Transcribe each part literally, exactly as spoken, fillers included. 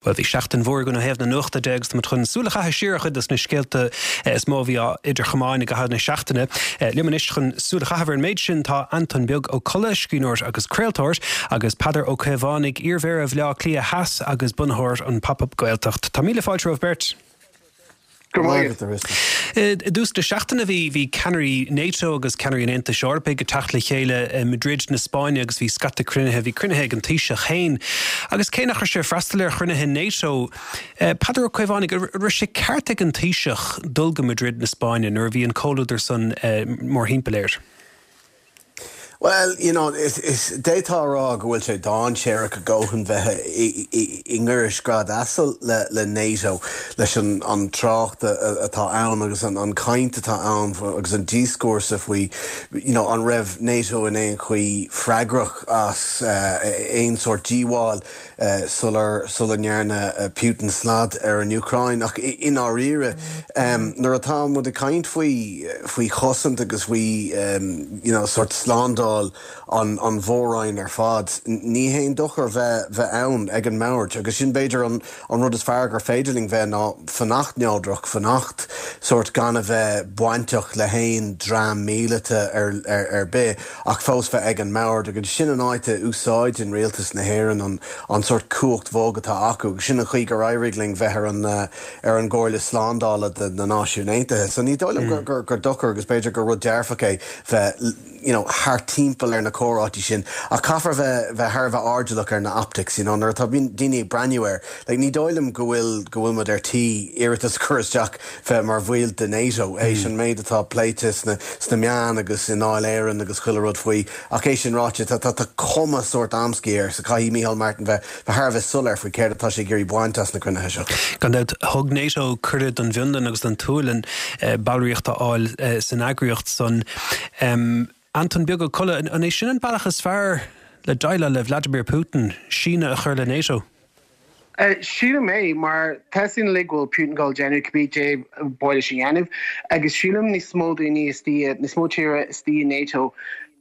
Well bhí seachtain mhór againn ó thaobh na nuachta de agus chun súil a chaitheamh siar ar chuid de na scéalta eh, is mó a bhí idir chamáin i gcaitheamh na seachtaine. Eh, Liom anois chun súil a chaitheamh ar an méid sin tá Anton Beag Ó Colla, scríbhneoir agus craoltóir, agus Peadar Ó Caomhánaigh iarMhéara Bhaile Átha Cliath Theas agus bunaitheoir an Pop-up Gaeltacht. Tá míle fáilte romhaibh beirt. I dtús na seachtaine bhí bhí ceannairí NATO agus ceannairí an Aontais Eorpaigh ag teacht le chéile i Madrid na Spáinne agus bhí scata cruinnithe bhí cruinnithe ag an Taoiseach féin. Agus cé nach raibh sé ag freastal ar chruinnithe NATO, eh, Peadar Ó Caomhánaigh raibh sé ceart ag an Taoiseach dul go Madrid na Spáinne nuair a bhí an comhluadar san eh, mórthimpeall air. Well, you know, is is d'fhéadfá a rá go bhfuil sé dainséarach a dhóthain bheith i ngiorra scread asail le le NATO leis an an trácht atá ann agus an an caint atá ann agus an díoscúrsa faoi you know, an raibh NATO in aon chaoi freagrach as uh, aon sórt díobháil uh, sular sula ndearna uh, Putin slad ar an Úcráin ach i ndáiríre um, nuair atá muid ag caint faoi faoi chosaint agus faoi um, you know, sórt slándáil an an mhór-roinn ar fad. Ní haon dochar bheith bheith ann ag an mbord agus sin b'fhéidir an, an rud is fearr gur féidir linn bheith ná fanacht neodrach fanacht sórt gan a bheith bainteach le haon dream míleata ar, ar, ar bith ach fós bheith ag an mbord agus sin an áit a úsáideann rialtas na hÉireann an, an sórt cumhacht bhog atá acu sin an chaoi gur éirigh linn bheith ar an uh, ar an gComhairle Slándála de na Náisiúin Aontaithe. So ní dóigh liom mm. gur, gur, gur dochar agus b'fhéidir gur rud dearfach é bheith you know, thart timpeall ar na comhráití sin ach caithfear bheith bheith thar bheith airdeallach ar na optics you know, nuair atá daoine breathnú air. Like, ní dóigh liom go bhfuil go bhfuil muid ar tí iarratas a chur isteach bheith mar bhall de NATO é sin mm. méid atá pléite sna sna meáin agus in Dáil Éireann agus chuile rud faoi ach é sin ráite tá tá cuma sórt amscaí air sa caithfidh Micheál Martin bheith bheith thar bheith soiléir faoi céard atá sé ag iarraidh baint as na cruinnithe seo. Gan dabht thug NATO cuireadh don bhFionlainn agus don tSualainn eh, ballraíocht a fháil eh, san eagraíocht san. Um, Anton Beag Ó Colla an é sin an bealach is fearr le déileáil le Vladimir Putin síneadh a chur le NATO. Uh, sílim é mar tá a fhios againn go bhfuil Putin ag déanamh cibé bóile sé dhéanamh agus sílim níos mó daoine níos mó tíortha istigh NATO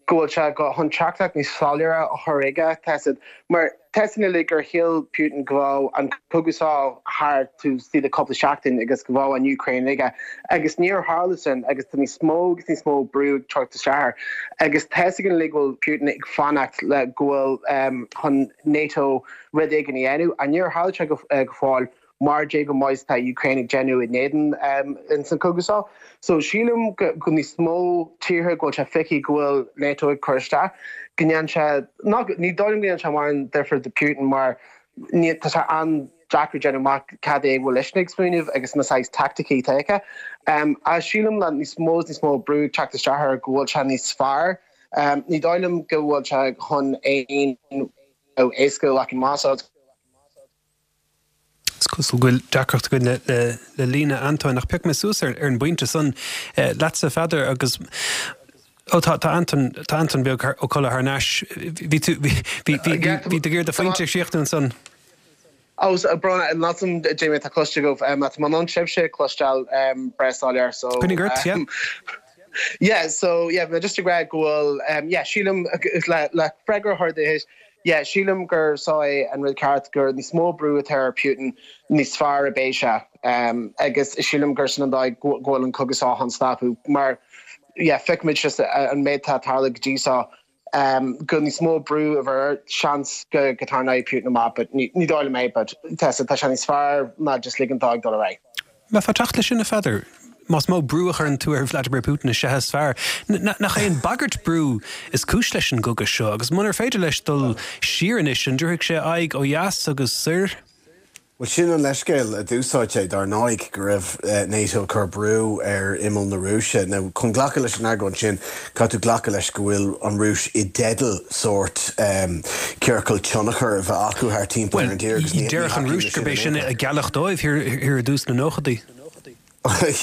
go bhfuil sé go chun teachtaireacht níos soiléire a chur aige tá mar tá a fhios againn gur shíl Putin go raibh an cogadh seo thart istigh le cúpla seachtain agus go raibh an Úcráin aige agus níor tharla sin agus tá níos mó agus níos mó brú teacht isteach agus tá a fhios againn go bhfuil Putin ag fanacht le go bhfuil um, chun NATO rud éigin a dhéanamh a níor tharla sé go, uh, go fóill mar de go maith tá Ukraine ag déanamh in éadan um, in san cogadh seo. So sílim go níos mó tíortha go bhfuil sé feicthe go bhfuil NATO ag cur isteach go ndéan sé ní dóigh liom sé mar an difear do Putin mar tá sé an-deacair déanamh amach cad é bhfuil leis ag smaoineamh agus na saghas tacticí aige. Um, a sílim le níos mó níos mó brú teacht isteach go bhfuil sé níos fearr. Um, ní dóigh liom go bhfuil sé chun aon éasca le más Is cosúil go bhfuil deacracht againn le, le, le líne Antoin ach piocfaidh mé suas ar, ar an bpointe san eh, leatsa Pheadair agus ó tá tá Anton tá Anton Beag Ó Colla thar n-ais bhí tú bhí bhí tú do phointe síochtún san. Ó brón orm Jamie tá cloiste go má an sibh sé cloisteáil breá soiléir so Gurt, yeah. Yeah, so yeah, just ag rá go bhfuil um, yeah, sílim le le freagra thir his yeah, sílim gur seo é an rud ceart gur níos mó brú atá ar Putin níos fearr a bheidh sé um, agus sílim gur sin an dóigh go bhfuil an cogadh seo chun stopadh mar yeah, feicimid just an méid atá tarla go dtí seo um, go níos mó brú a bheir seans go go dtarraingeoidh Putin amach, but ní ní dóigh liom é, but tá tá sé níos fearr ná just ligean dó dul ar aghaidh. Me fa techt le sin a Pheadair. Más mó brú a chuireann tú ar Vladimir Putin is ea is fearr. Nach é an bagairt brú is cúis leis an gcogadh seo, agus munar féidir leis dul siar anois an dtabharfaidh sé aghaidh ó dheas agus soir. Well sin an leithscéal a d'úsáid sé dar ndóigh go raibh uh, NATO ag cur brú ar imeall na Rúise. Now chun glacadh leis an argóint sin caithfidh tú glacadh leis go bhfuil an Rúis i dteideal sórt um, ciorcal tionchar a bheith acu thar timpeall ar an tír. Deir an Rúis gurb é sin a gealladh dóibh thiar i dtús na nóchaidí.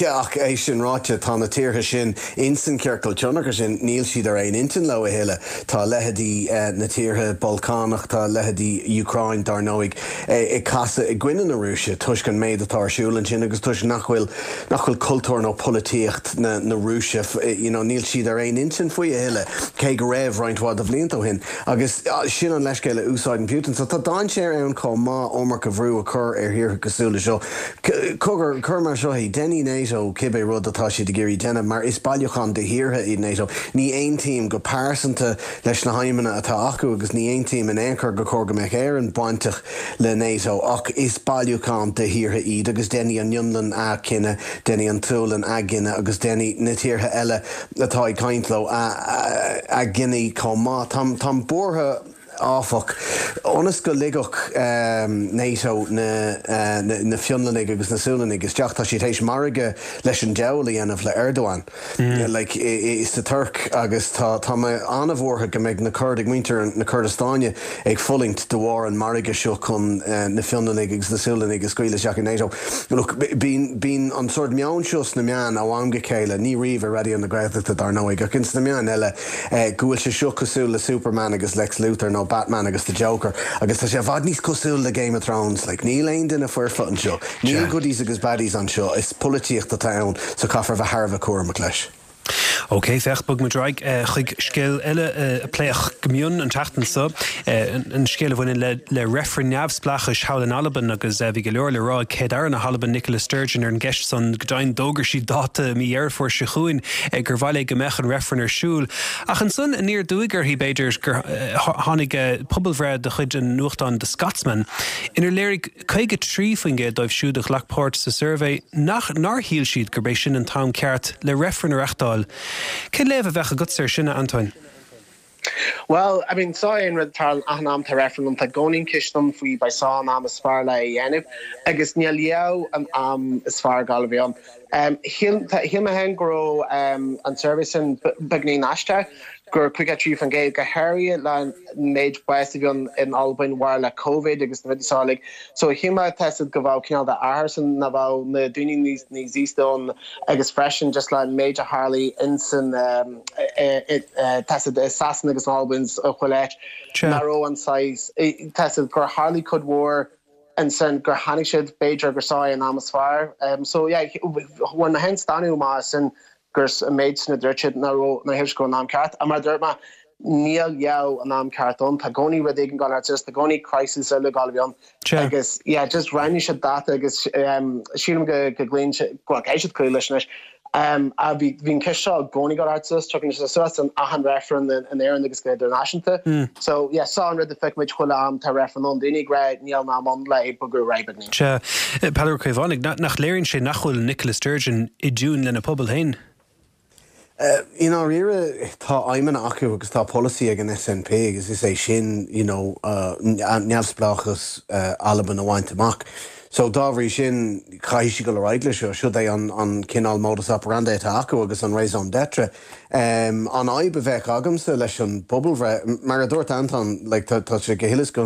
Yeah, ach é sin ráite tá na tíortha sin insan ciorcal tionchair sin níl siad ar aon intinn leo a thuilleadh. Tá leithéidí eh, na tíortha Balcánach tá leithéidí Úcráin dar ndóigh eh, ag casadh i gcoinne na Rúise toisc an méid atá ar siúl ansin agus toisc nach bhfuil nach bhfuil cultúr nó polaitíocht na, na Rúise eh, you know, níl siad ar aon intinn faoi a thuilleadh cé go raibh roinnt mhaith de bhlianta ó shin agus ah, sin an leithscéal a úsáideann Putin, so tá dainséar ann chomh maith iomarca brú a chur ar thíortha cosúil seo. Cogar cur mar seo é déanfaidh NATO cibé rud atá siad ag iarraidh déanamh mar is bailiúchán de thíortha iad NATO. Ní aontaím go pearsanta leis na haidhmeanna atá acu agus ní aontaím in aon chor gur chóir go mbeadh Éire bainteach le NATO ach is bailiúchán de thíortha iad agus déanfaidh an Fhionlainn a cinneadh, déanfaidh an tSualainn a gcinneadh agus déanfaidh na tíortha eile atá ag caint leo a gcinneadh chomh maith. Tá Tá buartha áfach ionas go ligfeadh um, NATO na, uh, na, na Fionlannaigh agus na Sualannaigh isteach tá siad théis margadh leis an diabhal a dhéanamh le Erdogan mm. like, i, i, sa Tuirc agus tá tá mé an-bhuartha go mbeidh na Curdaigh muintir na Kurdistáine ag fulaingt de bharr an margadh seo chun uh, na Fionlannaigh agus na Sualannaigh a scaoileadh isteach in NATO. Look, bíonn bíonn an sórt meon seo sna meáin ó am go chéile ní riamh ar Raidió na Gaeltachta dar ndóigh ach ins na meáin eile eh, go bhfuil sé seo cosúil le Superman agus Lex Luthor nó Batman agus the Joker agus tá sé i bhfad níos cosúil le Game of Thrones like, níl aon duine foirfe anseo. Níl goodies agus baddies anseo is polaitíocht atá ann so caithfear bheith thar a bheith cúramach leis. Ok, féach bogfaidh muid ar aghaidh eh, chuig scéal eile eh, a pléadh go mion an tseachtain seo eh, an scéal a bhaineann le le reifreann neamhspleáchais thall in Albain agus bhí go leor le rá ag Céad-Aire na hAlban Nicola Sturgeon ar an gceist san go deimhin d'fhógair sí dáta mí Dheireadh Fómhair seo chugainn gur mhaith léi go mbeadh an reifreann ar siúl. Ach ansan níor dúigh uirthi b'fhéidir gur tháinig pobalbhreith de chuid an nuachtáin The Scotsman inar léirigh caoga trí faoin gcéad dóibh siúd a ghlac páirt sa suirbhé nach nár shíl siad gurb é sin an t-am ceart le reifreann a reáchtáil. Cén léamh a bheadh agat air sin Antoine? Well, I mean seo an rud tar an am tá referendum tá i gcónaí ceist ann faoi ba seo an am is fearr le dhéanamh agus níl leabh an am is fearr gal bhí an. Um, Shíl mé féin go raibh um, an suirbhé sin beagáinín aisteach gur caoga trí faoin gcéad go háirithe le méid bás a bhí in Albain war le COVID agus na rudaí So shíl mé go bhfuil cineál de athair na bh na daoine níos níos ísdón agus freisin just le méid a tharla in san um, Sasana agus Albain chuile ná raibh an sais gur tharla cuid mhór ansan gur tháinig siad b'fhéidir gur seo an am is fearr. Um, so yeah, bhain mé féin stangadh amach sin gur méid na dúirt na na his go an am ceart a mar dúirt mé níl leabh an am ceart ann Tá i gcónaí rud éigin gal just i gcónaí crisis eile gal bhí agus yeah, just roghnaigh siad dáta agus um, sílim go go gcloíonn siad clú leis anois. Um, a bhí bhín ceist seo i gcónaí go tugann suas an achan referendum in Éirinn agus go idirnáisiúnta. Mm. So yeah, seo an rud a fheicimid chuile am tá referendum daoine ag rá níl an am ann le bogadh ar aghaidh. Se Peadar Caomhánaigh nach léiríonn sé nach bhfuil Nicola Sturgeon i dtiúin lena pobal féin. Uh, I ndáiríre tá aidhmeanna acu agus tá polasaí ag an SNP agus is é sin you know, uh, neamhspleáchas uh, Alban a bhaint amach. So dá bhrí sin caithfidh sí go réidh seo seo é an, an cineál modus operandi atá acu agus an raison d'être. Um, an fhadhb a bheadh agamsa leis an bpobalbhreith mar a dúirt Anton like, tá sé go huile go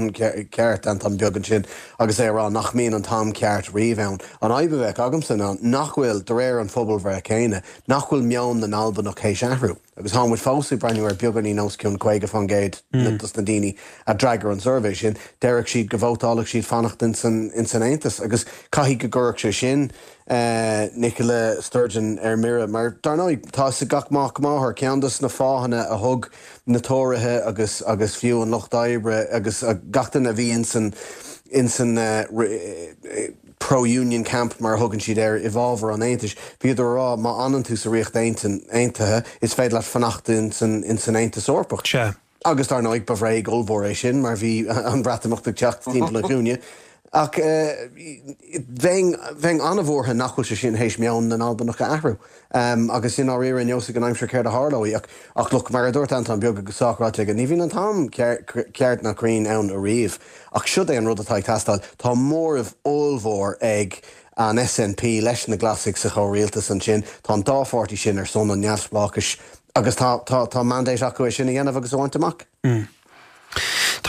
ceart Anton beag ansin agus é rá nach mbíonn an t-am ceart riamh ann. An fhadhb a bheadh agamsa ná nach bhfuil de réir an phobalbhreith céanna, nach bhfuil meon na nAlbanach théis athrú. agus tá muid fós ag breathnú ar beagáinín os cionn caoga faoin gcéad mm. dos na daoine a d'fhreagair an suirbhé sin, deir siad go vótálfadh siad fanacht in san, in san Aontas, agus caithfidh go gcuirfeadh sé sin uh, Nicola Sturgeon ar mire, mar dar ndóigh tá sé gach mac máthair ceann des na fáthanna a thug na Tóraithe agus agus fiú an lucht oibre agus uh, gach duine a bhí in san in san uh, pro-union camp mar thugann siad air i bhfabhar an Aontais. Bhíodar ag rá má fhanann tú sa Ríocht Aontaithe is féidir leat fanacht in san in san Aontas Eorpach. Se. Agus dar ndóigh ba bhréag ollmhór é sin mar bhí an Bhreatimeacht ag teacht timpeall an chúinne. Ach bheinn bheinn an-bhuartha nach bhfuil sé sin théis meon na nAlbanach a athrú. Um, agus sin áíar neosach an aimimse céir a tharlóidh ach ach look mar a dúirt Anton beag go sách go ní bhíonn an t-am ceart ná cruinn ann ariamh. Ach seo é an rud atá ag teastáil tá móramh ollmhór ag an SNP leis na Glasaigh sa chomhrialtas ansin tá an dá pháirtí sin ar son an neamhspleáchais agus tá tá tá mandate acu é sin a dhéanamh agus a bhaint amach. Mm.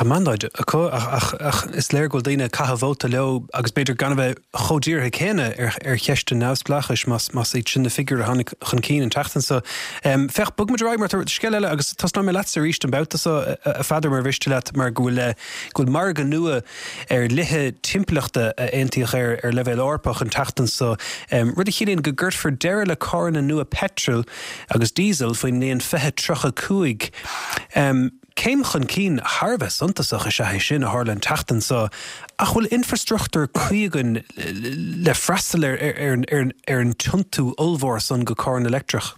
Tá mandáid acu ach ach is léir go bhfuil daoine ag caitheamh vóta leo agus b'fhéidir gan a bheith chomh dírithe céanna ar ar cheist an neamhspleáchais más más iad sin na figiúir a tháinig chun cinn an tseachtain seo. Féach, bogfaidh muid ar aghaidh mar tá scéal eile agus tosnóidh mé leatsa arís an babhta seo a Pheadair mar mhiste leat mar go bhfuil go bhfuil margadh nua ar dhlíthe timpeallachta a aontaíodh ar ar leibhéal Eorpach an tseachtain seo, rud a chiallaíonn go gcuirfear deireadh le carranna nua peitril agus diesel faoin mbliain fiche tríocha cúig. Céim chun cinn thar a bheith suntasach is ea é sin a tharla an tseachtain seo, ach bhfuil infreastruchtúr cuí againn le freastal ar ar an tiontú ollmhór san go carranna leictreach?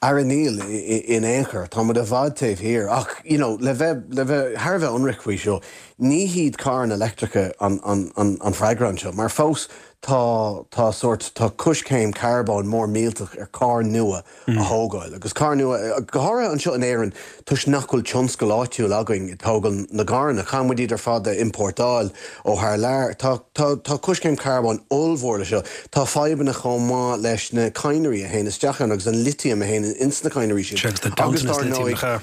Ara níl in aon chor, tá muid i bhfad taobh thiar ach you know le bheith le bheith thar a bheith ionraic faoi seo, ní hiad carranna leictreacha an an an an freagra anseo mar fós tá tá sórt tá coiscéim carbóin mór millteach ar carr nua a thógáil agus carr nua go háirithe anseo in Éirinn toisc nach bhfuil tionscal áitiúil againn ag tógáil na gcarranna, caithfidh muid iad ar fad a importáil ó thar lear. Tá tá tá coiscéim carbóin ollmhór le seo. Tá fadhbanna chomh maith leis na cadhnraí a théann isteach ann agus an litiam a théann ins na cadhnraí sin. Agus dar ndóigh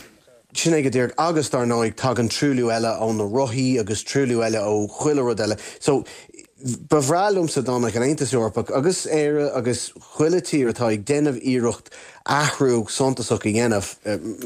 Sin é go díreach agus dar ndóigh tagann truailliú eile ó na rothaí agus truailliú eile ó chuile rud eile. So ba bhreá liomsa dá mbeadh an Aontas Eorpach agus Éire agus chuile tír atá ag déanamh iarracht athrú suntasach a dhéanamh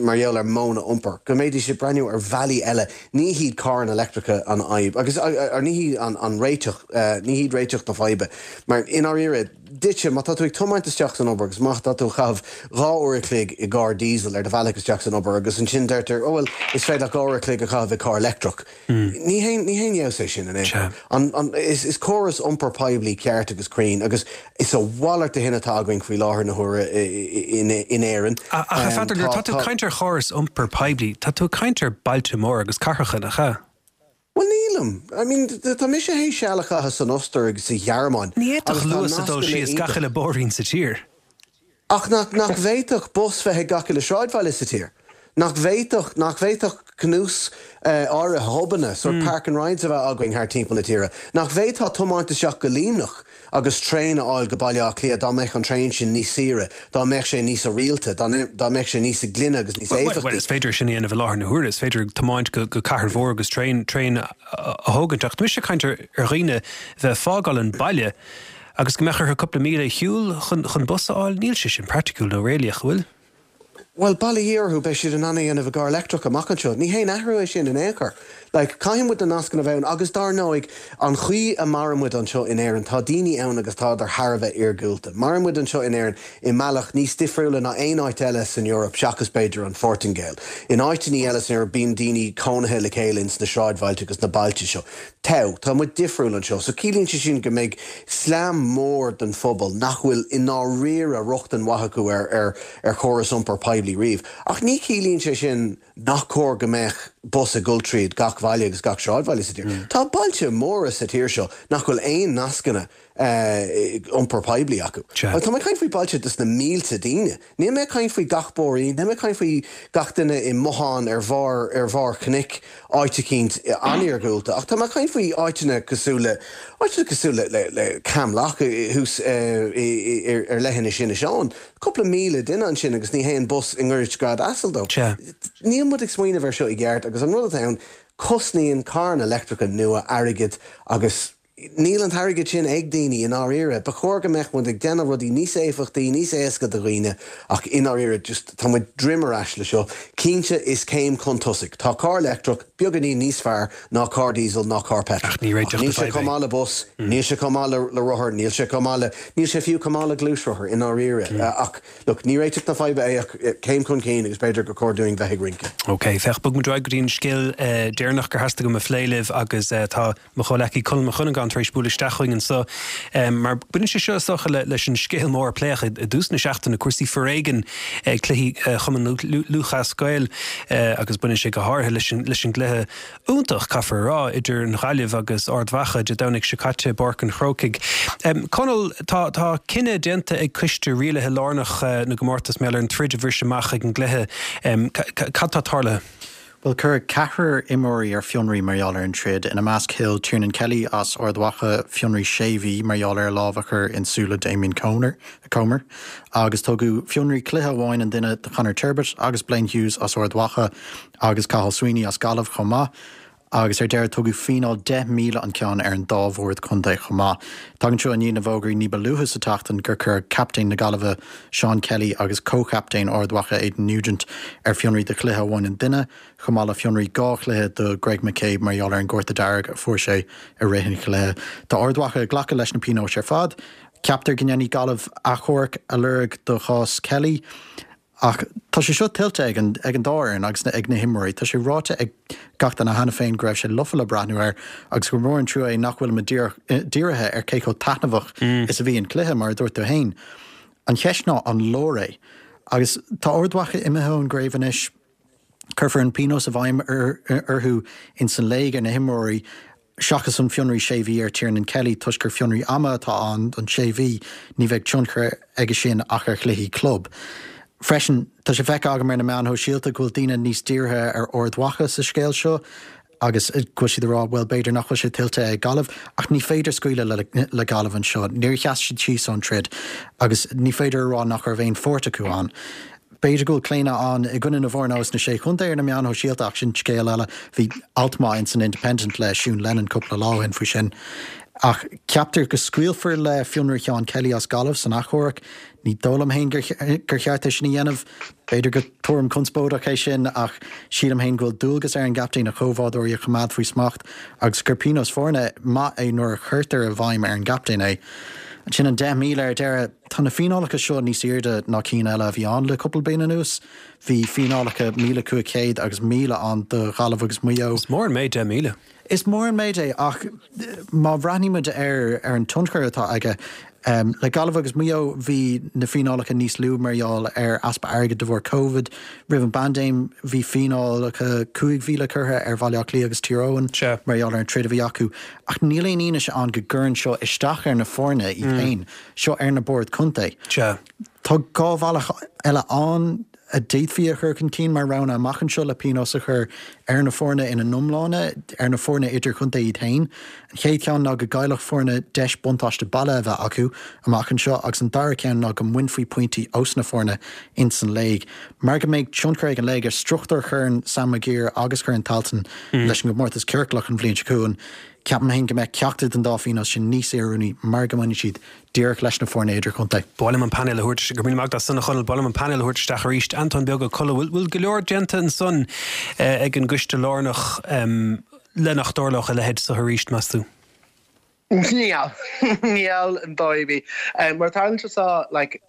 mar gheall ar mhodhanna iompair, go mbeidís ag breathnú ar bhealaí eile. Ní hiad carranna leictreacha an fhadhb agus ní hiad an réiteach, ní hiad réiteach na faidhbe. Mar i ndáiríre, duitse, má tá tú ag tiomáint isteach san obair agus má tá tú ag caitheamh dhá uair a chloig i gcarr diesel ar do bhealach isteach san obair agus ansin deirtear, oh well, is féidir leat dhá uair a chloig a chaitheamh i gcarr leictreach. Ní haon ní haon fheabhas é sin in aon chor. An, an, is, is córas iompair poiblí ceart agus cruinn agus is a mhalairt de shin atá againn faoi láthair na huaire in, in Éirinn. Ach a Pheadair, nuair atá tú ag caint ar chóras iompair poiblí, tá tú ag caint ar bailte móra agus cathracha, nach ea? Bhuel nílim. I mean, tá mise théis seal a chaitheamh san Ostair agus sa Ghearmáin Ní fhéadfadh Luas a dul síos gach uile bóithrín sa tír. Ach nach, nach bhféadfadh bus bheith ag gach uile sráidbhaile sa tír? Nach bhféadfadh, nach bhféadfadh cnuas áirithe hubanna, sort park and rides a bheith againn thar timpeall na tíre? Nach bhféadfá tiomáint isteach go Luimneach agus traein a fháil go Baile Átha Cliath dá mbeadh an traein sin níos saoire, dá mbeadh sé níos rialta, dá mbeadh sé níos glaine agus níos éifeachtaí? Bhuel, is féidir sin a dhéanamh i láthair na huaire. Is féidir tiomáint go cathair mhór agus traein, traein a thógaint. Ach tá mise ag caint ar dhaoine bheith ag fágáil an baile agus go mbeadh orthu cúpla míle a shiúl chun, chun bus a fháil. Níl sé sin praiticiúil nó réalaíoch, an bhfuil? Bhuel, bail ó Dhia orthu, beidh siad in ann é a dhéanamh i gcarr leictreach amach anseo. Ní haon athrú é sin in aon chor. Like, caithfidh muid na nascanna a bheith ann agus dar ndóigh, an chaoi a maireann muid anseo in Éirinn, tá daoine ann agus tádar thar a bheith iargúlta. Maireann muid anseo in Éirinn i mbealach níos difriúla ná aon áit eile san Eoraip seachas b'fhéidir an Phortaingéil. In áiteanna eile san Eoraip bíonn daoine cónaithe le chéile ins na sráidbhailte agus na bailte seo. Tau, tá muid difriúil anseo. So ciallaíonn sé sin go mbeidh sleam mór den phobal nach bhfuil i ndáiríre rochtain mhaith acu ar ar ar chóras iompair poiblí riamh. Ach ní chiallaíonn sé sin nach cóir go mbeadh bus ag dul tríd gach bhaile agus gach sráidbhaile sa tír. Tá bailte móra sa tír seo nach bhfuil aon nascanna iompar poiblí acu. Tá mé ag caint faoi bailte dos na mílte daoine. Níl mé ag caint faoi gach bóithrín, níl mé ag caint faoi gach duine i mbothán ar bharr ar bharr cnoic áit eicínt an-iargúlta, ach tá mé ag caint faoi áiteanna cosúil le áiteanna cosúil le le le Camlough thuas ar leithinis Inis Eoghain. Cúpla míle duine ansin agus ní théann bus i ngoirit scread asail dó. Níl muid ag smaoineamh air seo i gceart agus an rud atá ann, cosnaíonn carranna leictreacha nua airgead agus Níl an t-airgead sin ag daoine, i ndáiríre. Ba chóir go mbeadh muid ag déanamh rudaí níos éifeachtaí, níos éasca do dhaoine ach i ndáiríre just tá muid droim ar ais le seo. Cinnte is céim chun tosaigh. Tá carr leictreach beagáinín níos fearr ná carr diesel ná carr petrol. Ach ní réiteach na faidhbe é. Níl sé chomh maith le bus, níl sé chomh maith le rothar, níl sé chomh maith le, níl sé fiú chomh maith le gluaisrothar i ndáiríre. Ach look, ní réiteach na faidhbe é ach céim chun cinn agus b'fhéidir gur chóir dúinn bheith ag rince. Ok, féach, bogfaidh muid ar aghaidh go dtí an scéal deireanach gur theastaigh uaim a phlé libh agus tá mo chomhleacaí Conall Mac Dhonnagáin tar éis bualadh isteach chugainn anseo mar baineann sé seo is dócha leis an scéal mór a pléadh i dtús na seachtaine, cúrsaí foréigin ag cluichí Chumann Lúthchleas Gael agus baineann sé go háirithe leis an leis an gcluiche iontach, caithfear a rá, idir an Ghaillimh agus Ard Mhacha Dé Domhnaigh seo caite i bPáirc an Chrócaigh. Conall, tá tá cinneadh déanta ag Coiste Rialaithe Lárnach na gComórtas mar gheall ar an troid a bhris amach ag an gcluiche. Cad tá tarlaithe? Bhuel, cuireadh ceathrar imreoirí ar fionraí mar gheall ar an troid, ina measc thuill Tiernan Kelly as Ard Mhacha fionraí sé mhí mar gheall ar lámh a chur in súile Damien Comer, agus tugadh fionraí cluiche amháin an duine do Conor Turbitt agus Blaine Hughes as Ard Mhacha agus Cathal Sweeney as Gaillimh chomh maith. agus ar deireadh tugadh fíneáil deich míle an ceann ar an dá bhord contae chomh maith. Tagann seo i ndiaidh na bhfógraí ní ba luaithe sa tseachtain gur cuireadh captaen na Gaillimhe Seán Kelly agus comhchaptaen Ard Mhacha Aidan Nugent ar fionraí do chluiche amháin an duine, chomh maith le fionraí dhá chluiche do Greg McCabe mar gheall ar an gcárta dearg a fuair sé i rith an chluiche. Tá Ard Mhacha ag glacadh leis na pionóis ar fad. Ceaptar go ndéanfaidh Gaillimh achomharc a lorg do chás Kelly. Ach tá sé seo tuillte ag an ag an dá fhoireann agus ag na himreoirí. Tá sé ráite ag gach duine cheana féin go raibh sé lofa le breathnú air agus gur mór an trua é nach bhfuil dírithe ar cé chomh taitneamhach is a bhí an cluiche mar a dúirt tú féin. An cheist ná an leor é. Agus tá Ard Mhacha imithe ón gcraobh anois, cuirfear an pionós i bhfeidhm orthu in san léig ar na himreoirí seachas an fionraí sé mhí ar Tiernan Kelly toisc gur fionraí ama atá ann don sé mhí, ní bheidh tionchar aige sin ach ar chluichí club. Freisin, tá sé feicthe agam ar na meáin shóisialta go bhfuil daoine níos dírithe ar Ard Mhacha sa scéal seo agus go bhfuil siad ag rá bhuel b'fhéidir nach bhfuil sé tuillte ag Gaillimh ach ní féidir scaoileadh le, le Gaillimh anseo. Níor sheas siad síos ón troid agus ní féidir a rá nach raibh aon pháirt acu ann. B'fhéidir go bhfuil claonadh ann i gcoinne na bhfoirne sna Sé Chontae ar na meáin shóisialta ach sin scéal eile. Bhí alt maith in san Independent le Siún Lennon cúpla lá ó shin faoi sin. Ach ceaptar go scaoilfear le fionraí Sheán Kelly as Gaillimh san achomharc. Ní dóigh liom féin gur cheart é sin a dhéanamh. B'fhéidir gur tuairim conspóideach é sin ach sílim féin go bhfuil dualgas ar an gcaptaen a chomhbhádóirí a choimeád faoi smacht agus gur pionós foirne maith é nuair a chuirtear i bhfeidhm ar an gcaptaen é. Ansin an deich míle ar deireadh, tá na fíneálacha seo níos airde ná cinn eile a bhí ann le cúpla bliain anuas. Bhí fíneálacha míle cúig chéad agus míle ann do Ghaillimh agus Maigh Eo. Is mór an méid deich míle. Is mór an méid é ach má bhreathnaímid ar ar an tionchar atá aige, le Gaillimh agus Maigh Eo bhí na fíneálacha níos lú mar gheall ar easpa airgid de bharr Covid. Roimh an bpaindéim bhí fíneálacha cúig mhíle curtha ar Bhaile Átha Cliath agus Tír Eoghain mar gheall ar an troid a bhí acu. Ach níl aon fhianaise ann go gcuireann seo isteach ar na foirne iad féin, seo ar na boird contae. Tá dhá bhealach eile ann a d'fhéadfaí a chur chun cinn mar roghanna amach anseo le pionós a chur ar na foirne ina n-iomláine, ar na foirne idirchontae iad féin. An chéad cheann ná go gcaillfeadh foirne deis buntáiste baile a bheith acu amach anseo agus an dara ceann ná go mbainfí pointí ós na foirne ins an léig. Mar go mbeidh tionchar ag an léig ar struchtúr Chorn Sam Maguire agus Chorn Tailteann leis an gcomórtas ciorclach an bhliain seo chugainn, ceapaim féin go mbeadh ceachtar den dá phionós sin níos oiriúnaí mar go mbaineann siad díreach leis na foirne idirchontae. Ba mhaith liom an painéal a thabhairt, go raibh míle maith agat as san a Chonaill, ba mhaith liom an painéal a thabhairt isteach arís. Antóin Beag Ó Colla, bhfuil, bhfuil go leor déanta ansan ag an gCoiste Lárnach le nach dtarlódh a leithéid seo arís, meas tú? Níl. Níl an dóigh ar bith. Mar tarlaíonn sé seo, like,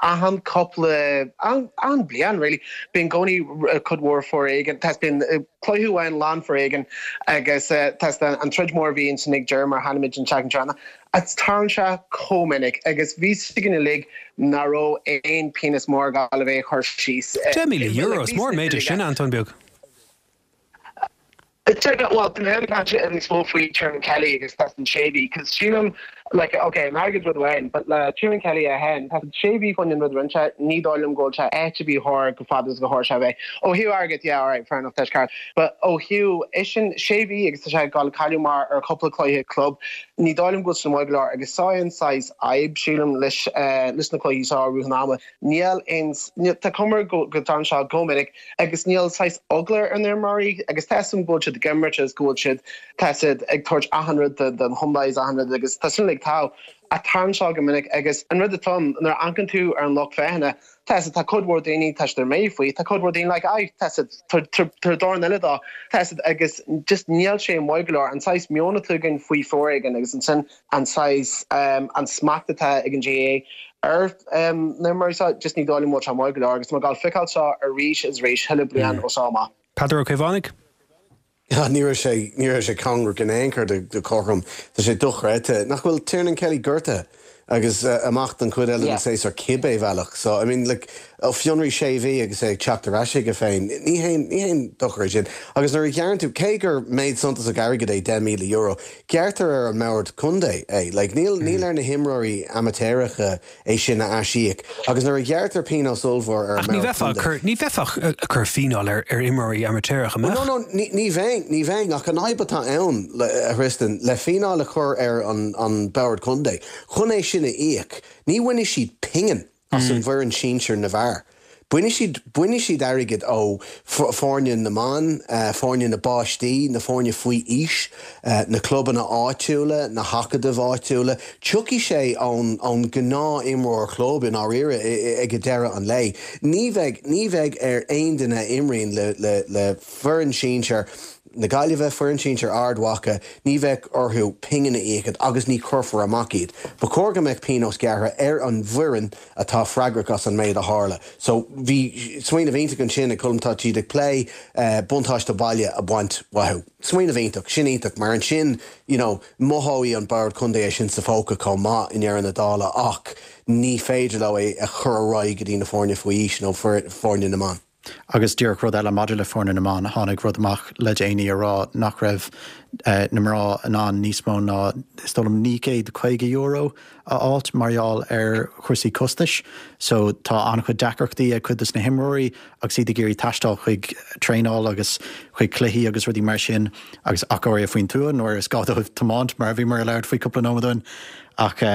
achan cúpla, achan bliain really, bíonn i gcónaí cuid mhór foréigin, tá bíonn cluiche amháin lán foréigin agus tá an troid mór a bhí ansin ag deireadh mar chonaic muid an tseachtain seo cheana. Tarlaíonn sé chomh minic agus bhí a fhios againn uilig nach raibh aon pionós mór ag gabháil a bheith curtha síos. Deich míle euro, is mór an méid é sin, Antóin Beag. Bhuel, tá mé ag caint níos mó faoi Tiernan Kelly agus tá an sé mhí, cos sílim, like, ok, an airgead rud amháin, but le Tiernan Kelly é féin, tá sé mhí chun an rud a rinne sé, ní dóigh liom go bhfuil sé áit ar bith chóir go fada is go chóir sé a bheith. Ó thaobh airgid, yeah, alright, fair enough, tá sé ceart. But ó thaobh, é sin sé mhí agus tá sé ag gabháil cailleadh mar ar cúpla cluiche club, ní dóigh liom go bhfuil sin maith go leor agus seo an saghas fhadhb, sílim, leis, leis na cluichí seo i rith an ama. Níl aon, tá cuma go go dtarlaíonn sé go minic agus níl saghas eagla ar na himreoirí agus tá a fhios agam go bhfuil siad ag imirt agus go bhfuil siad, tá siad ag tabhairt achan rud don chontae is achan rud agus tá sin uilig tá ach tarlaíonn sé go minic agus an rud atá ann nuair a amharcann tú ar an lucht féachana, tá siad, tá cuid mhór daoine, tá siad ar mire faoi, tá cuid mhór daoine like aye, tá siad, tabhair dorn eile dó, tá siad agus just níl sé maith go leor, an saghas meon atá againn faoi foréigean agus ansin an saghas, an smacht atá ag an GAA ar na himreoirí seo, just ní dóigh liom go bhfuil sé maith go leor agus tá mé ag gabháil feiceáil seo arís is arís chuile bliain ó seo amach. Peadar Ó Caomhánaigh? Ní raibh sé, ní raibh sé cóngarach in aon chor do chothrom. Tá sé dochreidte. Nach bhfuil Tiernan Kelly gortaithe agus amach don chuid eile den séasúr cibé bhealach. So, I mean, like, ó fionraí sé mhí agus é ag teacht ar ais chuige féin, ní haon, ní haon dochar é sin. Agus nuair a ghearrann tú, cé gur méid suntasach airgid é deich míle euro, gearrtar ar an mbord contae é. Like, níl, níl ar na himreoirí amaitéaracha é sin a aisíoc. Agus nuair a ghearrtar pionós ollmhór ar an Ach ní mbord bheifeá ag contae. cur, ní bheifeá ag cur fíneáil ar, ar imreoirí amaitéaracha, an Well, mbeadh? no, no, ní, ní bheinn, ní bheinn, ach an fhadhb atá ann, le, a Thristan, le fíneáil a chur ar an, an bord contae, chun é sin a íoc, ní bhainfidh siad pingin as an bhfoireann sinsir na bhfear. Bainfidh siad, bainfidh siad airgead ó foirne na mban, foirne na bpáistí, na foirne faoi aois, na clubanna áitiúla, na hacadaimh áitiúla. Tiocfaidh sé ón, ón gnáth-imreoir club i ndáiríre ag deireadh an lae. Ní bheidh, ní bheidh ar aon duine a imríonn le, le, le foireann sinsir na Gaillimhe, foireann sinsir Ard Mhacha, ní bheidh orthu pingin a íoc agus ní chuirfear amach iad. Ba chóir go mbeadh pionós gearrtha ar an bhfoireann atá freagrach as an méid a tharla. So bhí smaoineamh iontach ansin ag Colm, tá siad ag plé buntáiste baile a bhaint uathu. Smaoineamh iontach, sin iontach mar ansin you know mothóidh an bord contae é sin sa phóca chomh maith i ndeireadh na dála ach ní féidir leo é a chur ar aghaidh go dtí na foirne faoi aois nó foirne na mban. Agus díreach rud eile maidir le foirne na mban, tháinig rud amach le déanaí a rá nach raibh na mná in ann níos mó ná, is dóigh liom, naoi gcéad caoga euro a fháilt mar gheall ar chúrsaí costais. So tá an-chuid deacrachtaí ag cuid de na himreoirí agus iad ag iarraidh taisteal chuig traenáil agus chuig cluichí agus rudaí mar sin agus ach go háirithe faoin tuath nuair is gá dóibh tiomáint mar a bhíomar ag labhairt faoi cúpla nóiméad ó shin. Ach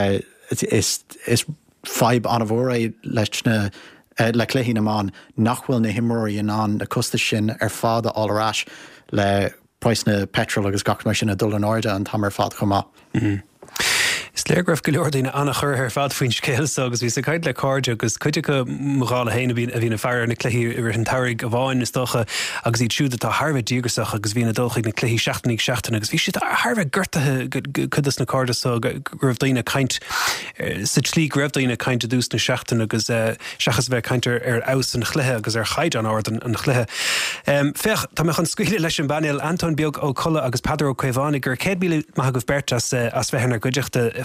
is is fadhb an-mhór é leis na le cluichí na mban nach bhfuil na himreoirí in ann na costais sin ar fad a fháil ar ais le praghsanna petrol agus gach mar sin ag dul in airde an t-am ar fad chomh maith. Is léir go raibh go leor daoine an-chorraithe ar fad faoin scéal so agus bhíos ag caint le cairde agus cuid acu mo dhála féin a bhíonn a bhíonn ag faire ar na cluichí i rith an tsamhraidh amháin is dócha agus iad siúd atá thar a bheith díograiseach agus bhíonn ag dul chuig na cluichí seachtain i ndiaidh seachtaine agus bhí siad thar a bheith gortaithe cuid de na cairde so go raibh daoine ag caint sa tslí go raibh daoine ag caint i dtús na seachtaine agus seachas a bheith ag caint ar fheabhas an chluiche agus ar chaighdeán ard an chluiche. Féach, tá mé chun scaoileadh leis an bpainéal, Antóin Beag Ó Colla agus Peadar Ó Caomhánaigh, go raibh céad míle maith agaibh beirt as as bheith inár gcuideachta.